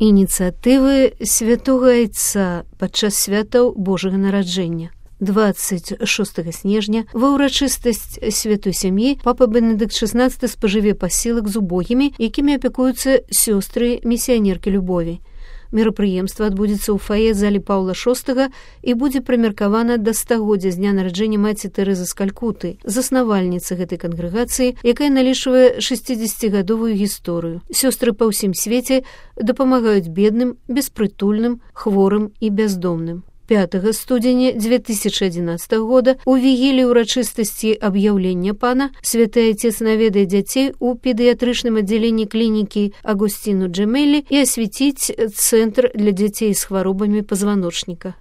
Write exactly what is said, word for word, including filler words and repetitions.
Ініцыятывы святога айца падчас святаў Божага нараджэння. двадцать шостага снежня ва ўрачыстасць святой сям'і папа Бенедыкт шестнадцаты спажыве пасілак з убогімі, якімі апякуюцца сёстры місіянеркі любові. Мерапрыемства адбудзецца ў фае залі Паўла шостага і будзе прымеркавана да стагоддзя з дня нараджэння маці Тэрэзы з Калькуты, заснавальніцы гэтай кангрэгацыі, якая налічвае шэсцідзесяцігадовую гісторыю. Сёстры па ўсім свеце дапамагаюць бедным, беспрытульным, хворым і бяздомным. пятага студзеня дзве тысячы адзінаццатага года у вігілі ўрачыстасці аб'яўлення пана святы айцец наведае дзяцей у педыятрычным аддзяленні клінікі Агусціну Джемелі і асвяціць цэнтр для дзяцей з хваробамі пазваночніка.